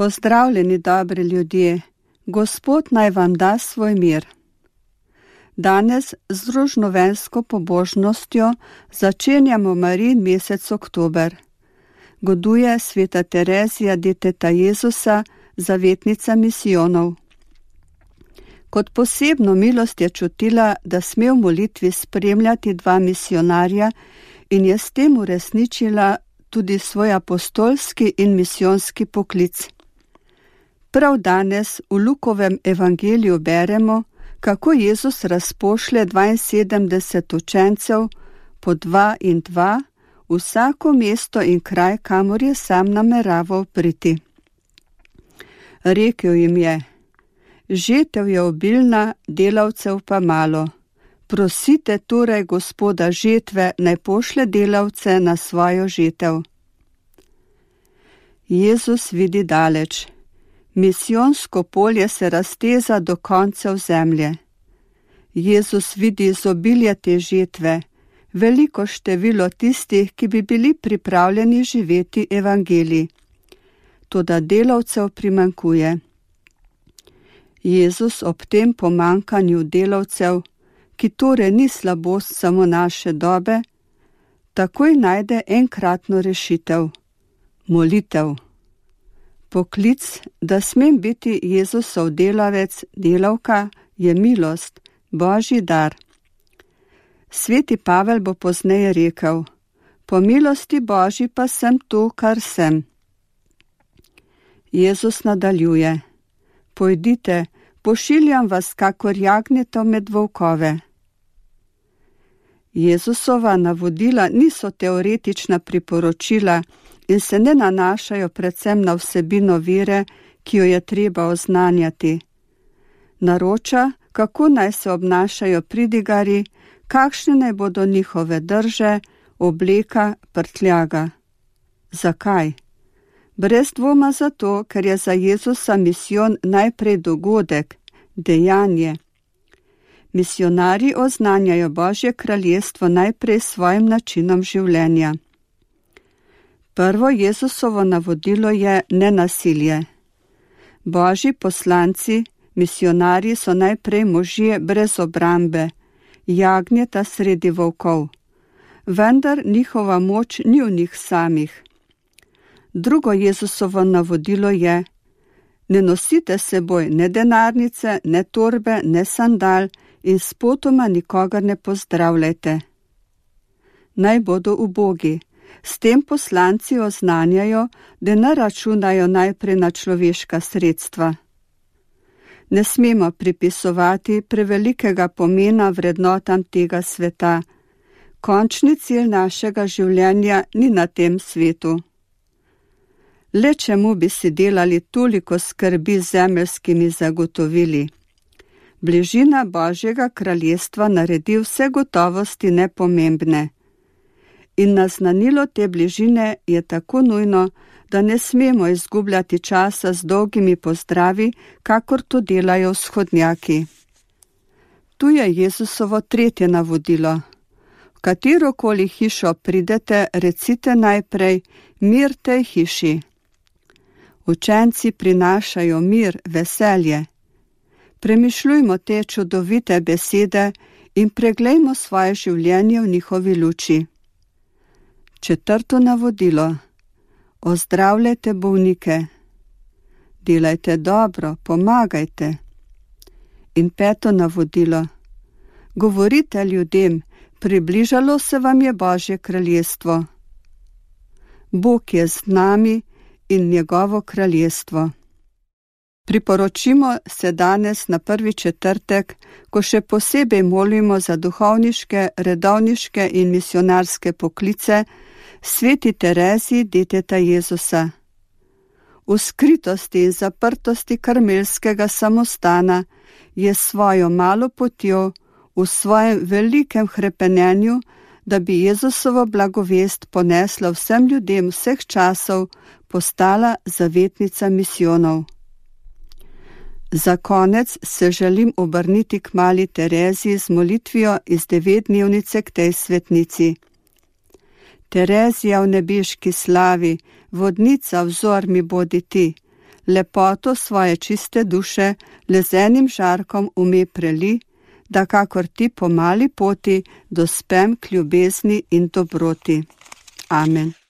Pozdravljeni, dobri ljudje, Gospod naj vam da svoj mir. Danes z rožnovensko pobožnostjo začenjamo Marijin mesec oktober. Goduje sveta Terezija deteta Jezusa, zavetnica misijonov. Kot posebno milost je čutila, da sme v molitvi spremljati dva misionarja in je s tem uresničila tudi svoj apostolski in misijonski poklic. Prav danes v Lukovem evangeliju beremo, kako Jezus razpošlje 72 učencev po 2 in 2 v vsako mesto in kraj, kamor je sam nameraval priti. Rekel jim je: žetev je obilna, delavcev pa malo. Prosite torej Gospoda žetve, naj pošlje delavce na svojo žetev. Jezus vidi daleč. Misijonsko polje se razteza do koncev zemlje. Jezus vidi izobilje te žetve, veliko število tistih, ki bi bili pripravljeni živeti evangelij. Toda delavcev primanjkuje. Jezus ob tem pomanjkanju delavcev, ki torej ni slabost samo naše dobe, takoj najde enkratno rešitev – molitev. Poklic, da smem biti Jezusov delavec, delavka, je milost, Božji dar. Sveti Pavel bo pozneje rekel: po milosti Božji pa sem tu, kar sem. Jezus nadaljuje: pojdite, pošiljam vas kakor jagnjeto med volkove. Jezusova navodila niso teoretična priporočila in se ne nanašajo predvsem na vsebino vere, ki jo je treba oznanjati. Naroča, kako naj se obnašajo pridigari, kakšne naj bodo njihove drže, obleka, prtljaga. Zakaj? Brez dvoma zato, ker je za Jezusa misijon najprej dogodek, dejanje. Misionarji oznanjajo Božje kraljestvo najprej s svojim načinom življenja. Prvo Jezusovo navodilo je nenasilje. Božji poslanci, misionarji so najprej možje brez obrambe, jagnjeta sredi volkov, vendar njihova moč ni v njih samih. Drugo Jezusovo navodilo je: ne nosite seboj ne denarnice, ne torbe, ne sandal in spotoma nikogar ne pozdravljajte. Naj bodo ubogi. S tem poslanci oznanjajo, da ne računajo najprej na človeška sredstva. Ne smemo pripisovati prevelikega pomena vrednotam tega sveta. Končni cilj našega življenja ni na tem svetu. Le čemu bi si delali toliko skrbi z zemeljskimi zagotovili? Bližina Božjega kraljestva naredi vse gotovosti nepomembne. In naznanilo te bližine je tako nujno, da ne smemo izgubljati časa z dolgimi pozdravi, kakor to delajo vzhodnjaki. Tu je Jezusovo tretje navodilo. V katerokoli hišo pridete, recite najprej: mir tej hiši. Učenci prinašajo mir, veselje. Premišljujmo te čudovite besede in preglejmo svoje življenje v njihovi luči. Četrto navodilo: ozdravljajte bolnike. Delajte dobro, pomagajte. In peto navodilo: govorite ljudem, približalo se vam je Božje kraljestvo. Bog je z nami in njegovo kraljestvo. Priporočimo se danes na prvi četrtek, ko še posebej molimo za duhovniške, redovniške in misionarske poklice, sveti Tereziji deteta Jezusa. V skritosti in zaprtosti karmelskega samostana je svojo malo potjo, v svojem velikem hrepenenju, da bi Jezusovo blagovest ponesla vsem ljudem vseh časov, postala zavetnica misijonov. Za konec se želim obrniti k mali Tereziji z molitvijo iz 9-dnevnice k tej svetnici. Terezija v nebeški slavi, vodnica vzor mi bodi ti, lepoto svoje čiste duše le z enim žarkom ume preli, da kakor ti po mali poti dospem k ljubezni in dobroti. Amen.